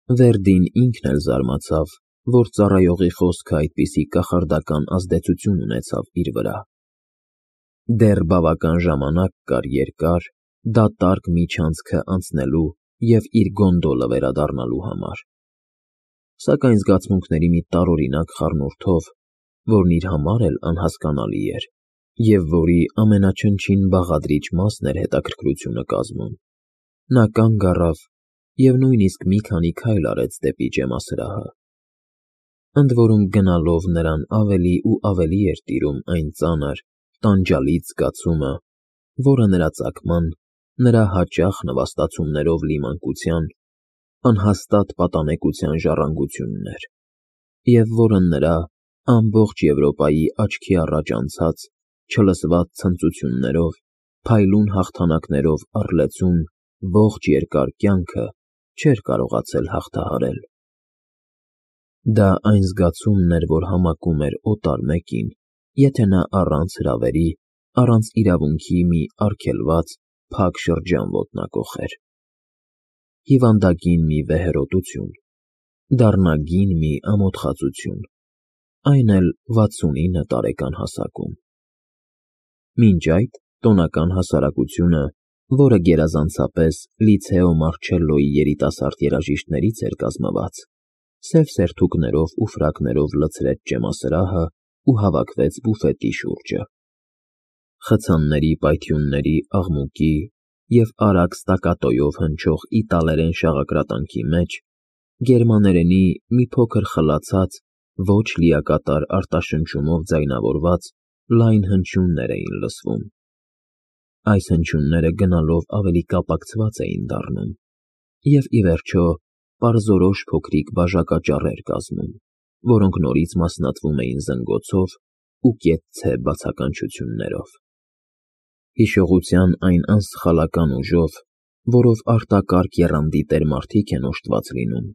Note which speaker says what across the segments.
Speaker 1: Վերդին ինքն էլ զարմացավ, որ ծառայողի խոսքը այդպիսի կախարդական ազդեցություն ունեցավ իր վրա։ Դեռ բավական ժամանակ կար երկար, դատարկ միջանցքը անցնելու և իր գոնդոլը վերադառնալու համար, սակայն զգացմունքների մի տարօրինակ խառնուրդով, որն իր համար էլ անհասկանալի էր, և որի ամենաչնչին բաղադրիչ մասն էր հետաքրքրությունը կազմում, նա կանգ առավ և նույնիսկ մի քանի քայլ արեց դեպի ջեմասրահը։ Ընդ որում գնալով նրան ավելի ու ավելի էր տիրում այն ծանր, տանջալից զգացումը, որը նրա ծագման, նրա հաճախ նվաստացումներով լի մանկության, անհաստատ պատանեկության ժառանգությունն էր, և որը նրա ամբողջ Եվրոպայի աչքի առաջ անցած, չլսված ցնծություններով, փայլուն հաղթանակներով առլեցուն ողջ երկար կյանքը չէր կարողացել հաղթահարել։ Դա այն զգացումն էր, որ համակում էր օտար մեկին, եթե նա առանց հրավերի, առանց իրավունքի մի արգելված, փակ շրջան ոտնակոխեր։ Հիվանդագին մի վեհերոտություն, դառնագին մի ամոթխածություն, այն էլ 69 տարեկան հասակում։ Մինչ այդ տոնական հասարակությունը, որը գերազանցապես Լիցեո Մարչելլոյի երիտասարդ երաժիշտներից էր կազմված, սև սերթուկներով ու ֆրակներով լցրեց ջեմասրահը ու հավաքվեց բուֆետի շուրջը։ Խցանների պայթյունների աղմուկի և արագ ստակատոյով հնչող իտալերեն շաղակրատանքի մեջ գերմաներենի մի փոքր խլացած, ոչ լիակատար արտաշնչումով ձայնավորված լայն հնչյուններ էին լսվում։ Այս հնչյունները գնալով ավելի կապակցված էին դառնում և, ի վերջո, պարզորոշ փոքրիկ բաժակաճառեր կազմում, որոնք նորից մասնատվում էին զնգոցով ու կեցցե բացականչություններով։ Հիշողության այն անսխալական ուժով, որով արտակարգ եռանդի տեր մարդիկ են օժտված լինում,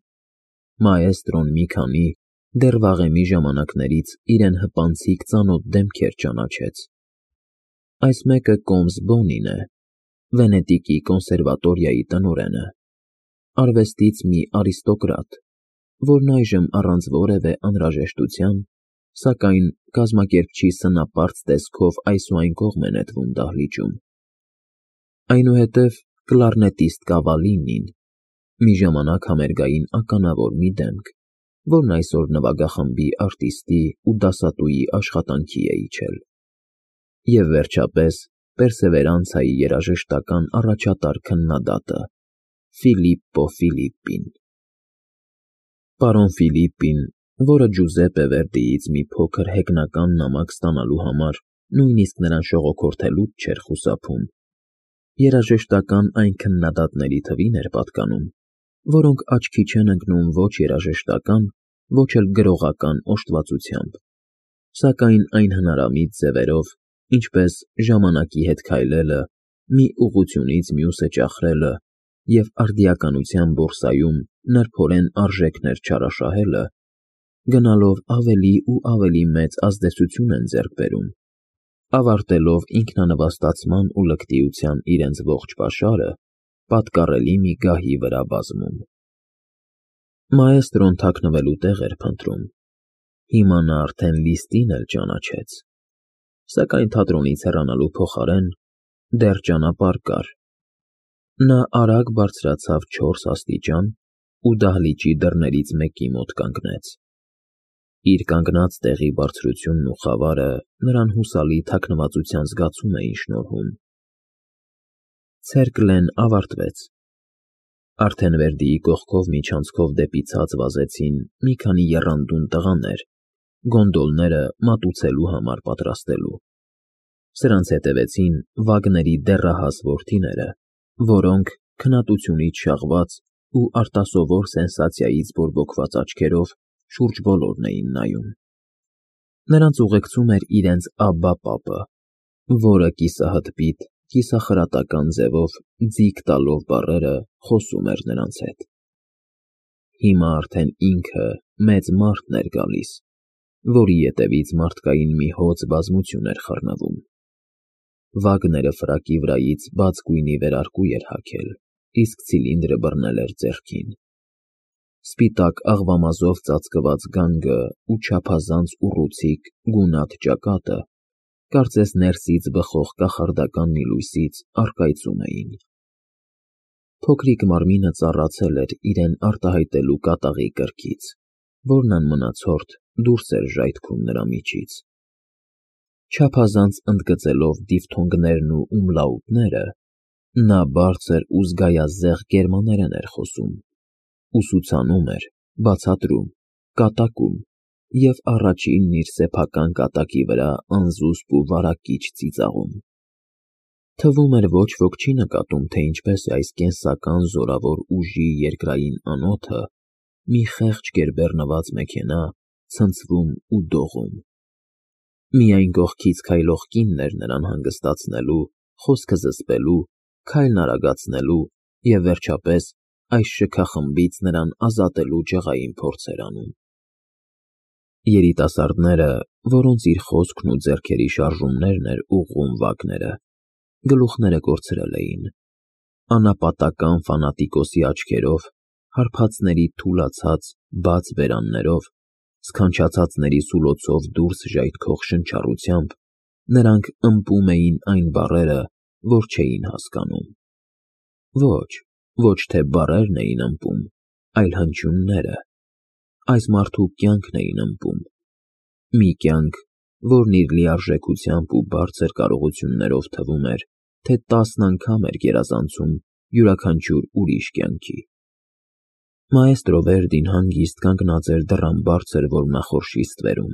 Speaker 1: մաէստրոն մի քանի, դեռ վաղեմի ժամանակներից իրեն հպանցիկ ծանոթ դեմքեր ճանաչեց։ Այս մեկը կոմս Բոնին է, Վենետիկի կոնսերվատորիայի տնօրենը, արվեստից մի արիստոկրատ, որն այժմ առանց որևէ անհրաժեշտության, սակայն կազմակերպչի սնապարծ տեսքով այս ու այն կողմ է նետվում դահլիճում։ Այնուհետև կլարնետիստ Կավալինին, մի ժամանակ համերգային ականավոր մի դեմք, որն այսօր նվագախմբի արտիստի ու դասատուի աշխատանքի է իջել։ Եվ վերջապես Պերսևերանցայի երաժշտական առաջատար քննադատը Ֆիլիպպո Ֆիլիպպին։ Պարոն Ֆիլիպպին, որը Ջուզեպպե Վերդիից մի փոքր հեգնական նամակ ստանալու համար նույնիսկ նրան շողոքորթելուց չէր խուսափում, երաժշտական այն քննադատների թվին էր պատկանում, որոնք աչքի չեն ընկնում ոչ երաժշտական, ոչ էլ գրողական օժտվածությամբ, սակայն այն հնարամիտ ձևերով, ինչպես ժամանակի հետ քայլելը, մի ուղղությունից մյուսը ճախրելը և արդիականության բորսայում նրբորեն արժեքներ չարաշահելը, գնալով ավելի ու ավելի մեծ ազդեցություն են ձեռք բերում, ավարտելով ինքնանվաստացման ու լկտիության իրենց ողջ պաշարը պատկառելի մի գահի վրա բազում։ Մաէստրոն թաքնվելու տեղ էր փնտրում։ Հիմա նա արդեն Լիստին էլ ճանաչեց, սակայն թատրոնից հեռանալու փոխարեն դեռ ճանապարհ կար։ Նա արագ բարձրացավ 4 աստիճան ու դահլիճի դռներից մեկի մոտ կանգնեց։ Իր կանգնած տեղի բարձրությունն ու խավարը նրան հուսալի թաքնվածության զգացում էին շնորհում։ Ցերկլեն ավարտվեց։ Արդեն Վերդիի կողքով միջանցքով դեպի ցած վազեցին մի քանի եռանդուն տղաներ, գոնդոլները մատուցելու համար պատրաստելու։ Սրանց հետևեցին Վագների դեռահաս որդիները, որոնք, քննատությունից շաղված ու արտասովոր սենսացիայից բորբոքված աչքերով, շուրջ բոլորն էին նայում։ Նրանց ուղեկցում էր իրենց Աբբա պապը, որը կիսահդպիտ, կիսախրատական ձևով ձիգ տալով բառերը խոսում էր նրանց հետ։ Հիմա արդեն ինքը մեծ մարդն էր գալիս, որի ետևից մարդկային մի հոծ բազմություն էր խռնվում։ Վագները ֆրակի վրայից բաց գույնի վերարկու էր հագել, իսկ ցիլինդրը բռնել էր ձեռքին։ Սպիտակ աղվամազով ծածկված գանգը ու չափազանց ուռուցիկ գունատ ճակատը, կարծես ներսից բխող կախարդական մի լույսից առկայծում էին։ Փոքրիկ մարմինը ծառացել էր իրեն արտահայտելու կատաղի կրքից, որն անմնացորդ դուրս էր ժայթքում նրա միջից։ Չափազանց ընդգծելով դիֆթոնգներն ու ումլաուտները, նա բարձր ու զգայազեղ գերմաներեն էր խոսում, ուսուցանում էր, բացատրում, կատակում և առաջինն իր սեփական կատակի վրա անզուսպ ու վարակիչ ծիծաղում։ Թվում էր ոչ ոք չի նկատում, թե ինչպես է այս կենսական զորավոր ուժի երկրային անոթը մի խեղճ գերբեռնված մեքենա ցնցվում ու դողում։ Միայն կողքից քայլող կինն էր նրան հանգստացնելու, խոսքը զսպելու, քայլն արագացնելու և, վերջապես, այս շքախմբից նրան ազատելու ջղային փորձեր անում։ Երիտասարդները, որոնց իր խոսքն ու ձեռքերի շարժումներն էր ուղղում Վագները, գլուխները կորցրել էին, անապատական ֆանատիկոսի աչքերով, հարբածների թուլացած, բաց բերաններով, սքանչացածների սուլոցով դուրս ժայթքող շնչառությամբ նրանք ըմպում էին այն բառերը, որ չէին հասկանում։ Ոչ թե բառերն էին ըմպում, այլ հնչյունները։ Այս մարդու կյանքն էին ըմպում։ Մի կյանք, որն իր լիարժեքությամբ ու բարձր կարողություններով թվում էր, թե 10 անգամ էր գերազանցում յուրաքանչյուր ուրիշ կյանքի։ Մաեստրո Վերդին հանգիստ կանգնած էր դռան բարձր որմնախորշի ստվերում։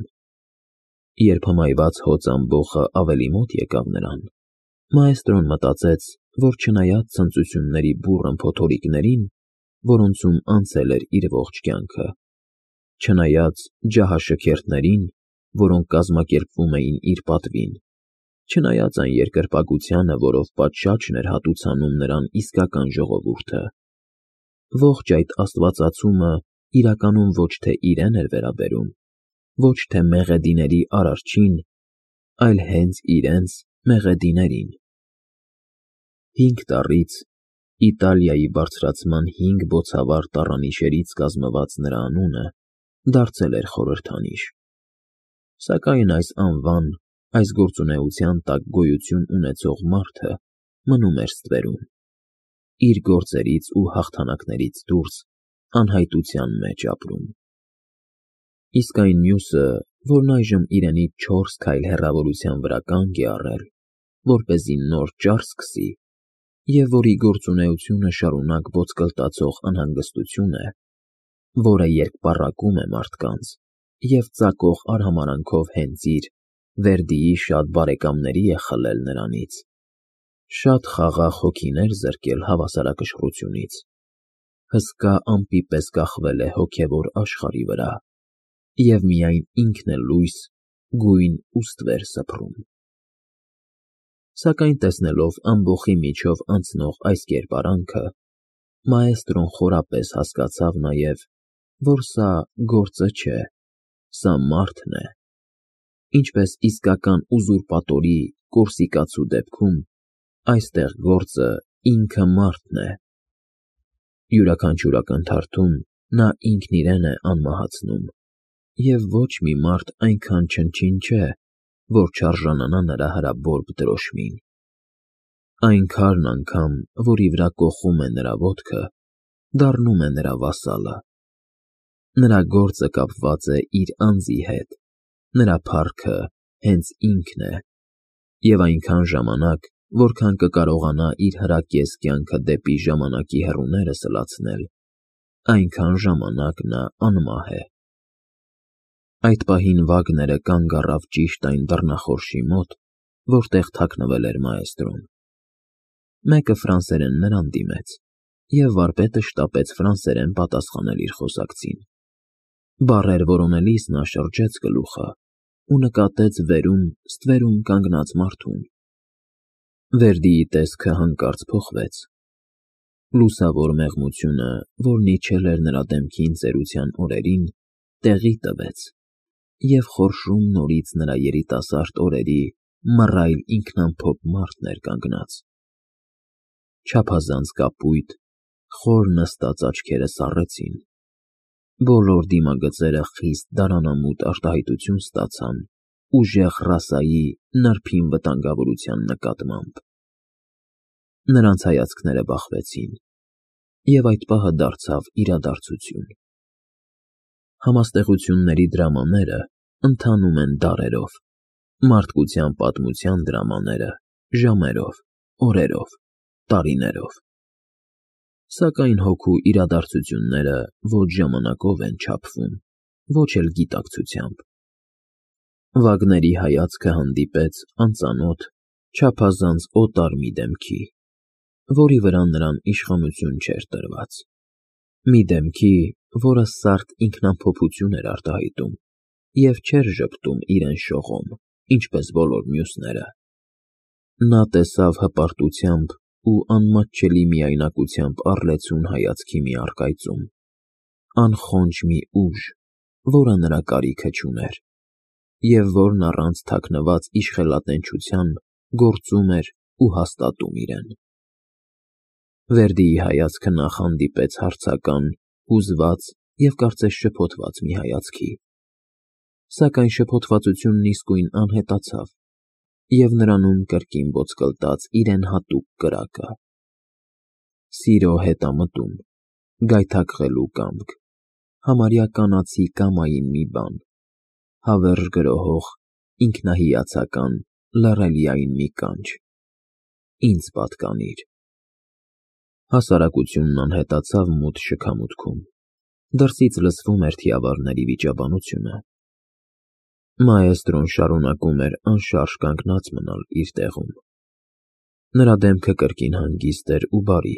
Speaker 1: Երբ հմայված հոծ ամբոխը ավելի մոտ եկավ նրան, մաեստրոն մտածեց, որ չնայած ցնծությունների բուռն փոթորիկներին, որոնցում անցել էր իր ողջ կյանքը, չնայած ջահաշքերթներին, որոնք կազմակերպվում էին իր պատվին, չնայած այն երկրպագությանը, որով պատշաճն էր հատուցանում նրան իսկական ժողովուրդը, ողջ այդ աստվածացումը իրականում ոչ թե իրեն էր վերաբերում, ոչ թե մեղեդիների Արարչին, այլ հենց իրենց մեղեդիներին։ 5 տառից, Իտալիայի բարձրացման 5 բոցավառ տառանիշերից կազմված նրա անունը դարձել էր խորհրդանիշ։ Սակայն այս անվան, այս գործունեության տակ գոյություն ունեցող մարդը մնում էր ստվերում, իր գործերից ու հաղթանակներից դուրս անհայտության մեջ ապրում։ Իսկ այն մյուսը, որն այժմ իրենից 4 քայլ հեռավորության վրա կանգ է առել, որպեսզի նոր ճար սկսի, և որի գործունեությունը շարունակ ոտկլտացող անհանգստություն է, որը երկպառակում է մարդկանց և ծակող արհամարհանքով հենց իր՝ Վերդիի շատ բարեկամների է խլել նրանից, շատ խաղաղ հոգիներ զրկել հավասարակշռությունից, հսկա ամպի պես կախվել է հոգևոր աշխարհի վրա և միայն ինքն է լույս, գույն ու ստվեր սփռում։ Սակայն տեսնելով ամբոխի միջով անցնող այս կերպարանքը, մաեստրոն խորապես հասկացավ նաև, որ սա գործը չէ, սա մարդն է, ինչպես իսկական ուզուրպատորի, կորսիկացու դեպքում, այստեղ գործը ինքը մարդն է։ Յուրաքանչյուր ակնթարթում նա ինքն իրեն է անմահացնում, և ոչ մի մարդ այնքան չնչին չէ, որ չարժանանա նրա հրաբորբ դրոշմին։ Այն քարն անգամ, որի վրա կոխում է նրա ոտքը, դառնում է նրա վասալը։ Նրա գործը կապված է իր անձի հետ, նրա փառքը հենց ինքն է, և այնքան ժամանակ, որքան կկարողանա իր հրակես կյանքը դեպի ժամանակի հեռուները սլացնել, այնքան ժամանակ նա անմահ է։ Այդ պահին Վագները կանգ առավ ճիշտ այն դռնախորշի մոտ, որտեղ թաքնվել էր մաեստրոն։ Մեկը ֆրանսերեն նրան դիմեց, և վարպետը շտապեց ֆրանսերեն պատասխանել իր խոսակցին։ Բառեր որոնելիս նա շրջեց գլուխը ու նկատեց վերում ստվերում կանգնած մարդուն։ Վերդիի տեսքը հանկարծ փոխվեց։ Լուսավոր մեղմությունը, որն իջել էր նրա դեմքին ծերության օրերին, տեղի տվեց, և խորշում նորից նրա երիտասարդ օրերի մռայլ ինքնամփոփ մարդն էր կանգնած։ Չափազանց կապույտ, խոր նստած աչքերը սառեցին, Բոլոր դիմագծերը խիստ դարանամուտ արտահայտություն ստացան ուժեղ ռասայի նրբին վտանգավորության նկատմամբ։ Նրանց հայացքները բախվեցին, և այդ պահը դարձավ իրադարձություն։ Համաստեղությունների դրամաները ընթանում են դարերով, մարդկության պատմության դրամաները՝ ժամերով, օրերով, տարիներով։ Սակայն հոգու իրադարձությունները ոչ ժամանակով են չափվում, ոչ էլ գիտակցությամբ։ Վագների հայացքը հանդիպեց անծանոթ, չափազանց օտար մի դեմքի, որի վրա նրան իշխանություն չէր տրված, մի դեմքի, որը սարդ ինքնամփոփություն էր արտահայտում և չէր ժպտում իրեն շողոմ, ինչպես բոլոր մյուսները։ Նա տեսավ հպարտությամբ ու անմատչելի միայնակությամբ առլեցուն հայացքի մի առկայծում, անխոնջ մի ուժ, որը նրա կարիքը չուներ, և որն առանց թաքնված իշխելատենչության գործում էր ու հաստատում իրեն։ Վերդիի հայացքը նախ հանդիպեց հարցական, հուզված և կարծես շփոթված մի հայացքի, սակայն շփոթվածությունն իսկույն անհետացավ, և նրանում կրկին ոտկլտաց իրեն հատուկ կրակը։ Սիրո հետամտում, գայթակղելու կամք, համարյա կանացի կամային մի բան, հավերժ գրոհող, ինքնահիացական, լռելիային մի կանչ։ Ինձ պատկանիր։ Հասարակությունն անհետացավ մութ շքամուտքում, դրսից լսվում էր թիավարների վիճաբանությունը։ Մաեստրոն շարունակում էր անշարժ կանգնած մնալ իր տեղում։ Նրա դեմքը կրկին հանգիստ էր ու բարի,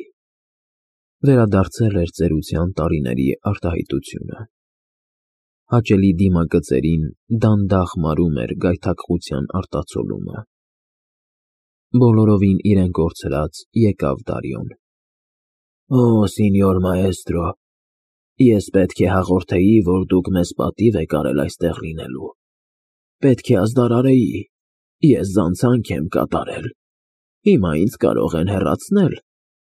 Speaker 1: վերադարձել էր ծերության տարիների արտահայտությունը։ Հաճելի դիմագծերին դանդաղ մարում էր գայթակղության արտացոլումը։ Բոլորովին իրեն կորցրած եկավ Դարիոն։ Օ, սինյոր մաեստրո, ես պետք է հաղորդեի, որ դուք մեզ պատիվ եք արել այստեղ լինելու։ Պետք է ազդարարեի, ես զանցանք եմ կատարել։ Հիմա ինձ կարող են հեռացնել,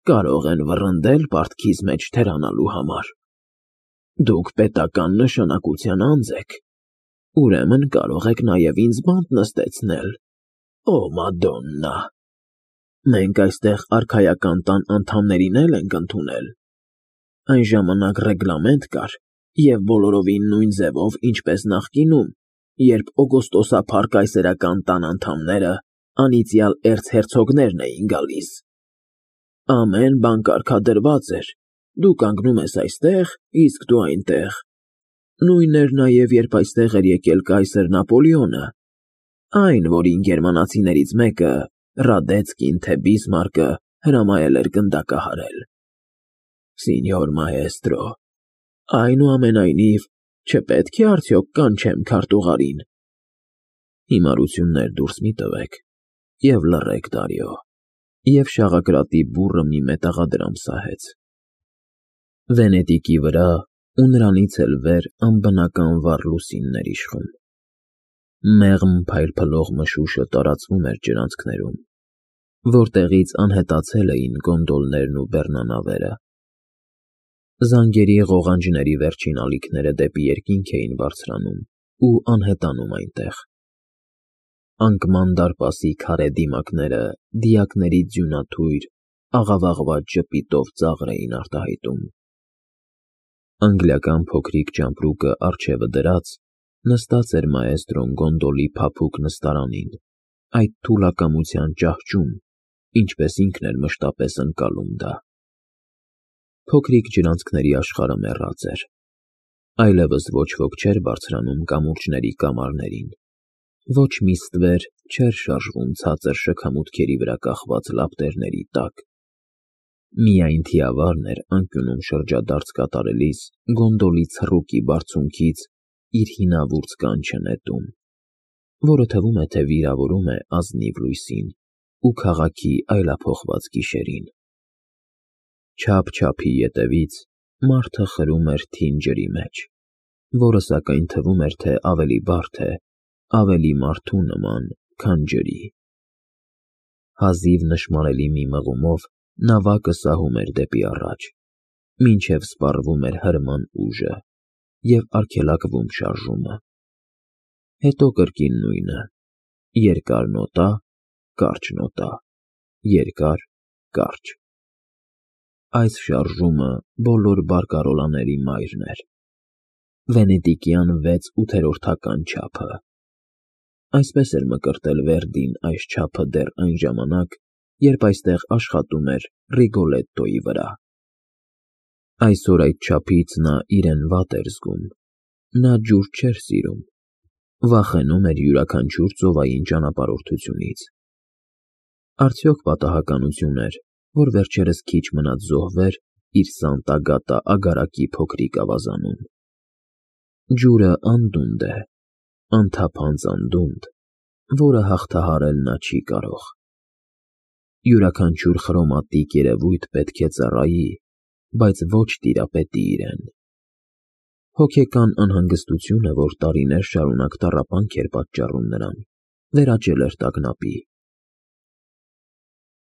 Speaker 1: կարող են վռնդել պարտքիս մեջ թերանալու համար։ Դուք պետական նշանակության անձ եք, ուրեմն կարող եք նաև ինձ բանտ նստեցնել։ Օ, Մադոննա։ Մենք այստեղ արքայական տան անդամներին էլ ենք ընդունել։ Այն ժամանակ ռեգլամենտ կար, և բոլորովին նույն ձևով, ինչպես նախկինում, երբ օգոստոսափառ կայսերական տան անդամները անիծյալ էրցհերցոգներն էին գալիս։ Ամեն բան կարգադրված էր, դու կանգնում ես այստեղ, իսկ դու այնտեղ։ Նույնն էր նաև, երբ այստեղ էր եկել կայսր Նապոլեոնը, այն, որին գերմանացիներից մեկը, Ռադեցկին թե Բիսմարկը, հրամայել էր գնդակահարել։ Սինյոր մաեստրո, այնուամենայնիվ, չպետք է արդյոք կանչեմ քարտուղարին։ Հիմարություններ դուրս մի տվեք և լռեք, Դարիո, և շաղակրատի բուռը մի մետաղադրամ սահեց։ Վենետիկի վրա ու նրանից էլ վեր անբնական վառ լուսիններ իշխում։ Մեղմ փայլփլող մշուշը տարածվում էր ջրանցքներում, որտեղից անհետացել էին գոնդոլներն ու բեռնանավերը։ Զանգերի ղողանջների վերջին ալիքները դեպի երկինք էին բարձրանում ու անհետանում այնտեղ։ Անկման դարպասի քարե դիմակները դիակների ձյունաթույր, աղավաղված ժպիտով ծաղր էին արտահայտում։ Անգլիական փոքրիկ ճամպրուկը առջևը դրած, նստած էր մաեստրոն գոնդոլի փափուկ նստարանին, այդ թուլակամության ճահճում, ինչպես ինքն էր մշտապես ընկալում դա։ Փոքրիկ ջրանցքների աշխարհը մեռած էր։ Այլևս ոչ ոք չէր բարձրանում կամուրջների կամարներին, ոչ մի ստվեր չէր շարժվում ցածր շքամուտքերի վրա կախված լապտերների տակ։ Միայն թիավարն էր անկյունում շրջադարձ կատարելիս գոնդոլի ցռուկի բարձունքից իր հինավուրց կանչը նետում, որը թվում է, թե վիրավորում է ազնիվ լույսին ու քաղաքի այլափոխված գիշերին։ Չափ-չափի ետևից մարդը խրում էր թին ջրի մեջ, որը սակայն թվում էր, թե ավելի բարդ է, ավելի մարդու նման, քան ջրի։ Հազիվ նշմարելի մի մղումով նավակը սահում էր դեպի առաջ, մինչև սպառվում էր հրման ուժը, և արգելակվում շարժումը։ Հետո կրկին նույնը. երկար նոտա, կարճ նոտա, երկար, կարճ։ Այս շարժումը բոլոր բարկարոլաների մայրն էր։ Վենետիկյան 6/8 չափը։ Այսպես էր մկրտել Վերդին այս չափը դեռ այն ժամանակ, երբ այստեղ աշխատում էր Ռիգոլետտոյի վրա։ Այսօր այդ չափից նա իրեն վատ էր զգում։ Նա ջուր չէր սիրում, վախենում էր յուրաքանչյուր ծովային ճանապարհորդությունից։ Արդյոք պատահականություն էր, որ վերջերս քիչ մնաց զոհվեր իր Սանտա Գատա ագարակի փոքրիկ ավազանում։ Ջուրը անդունդ է, անթափանց անդունդ, որը հաղթահարել նա չի կարող։ Յուրաքանչյուր խրոմատիկ երևույթ պետք է ծառայի, բայց ոչ տիրապետի իրեն։ Հոգեկան անհանգստությունը, որ տարիներ շարունակ տառապանք էր պատճառում նրան, վերաճել էր տագնապի։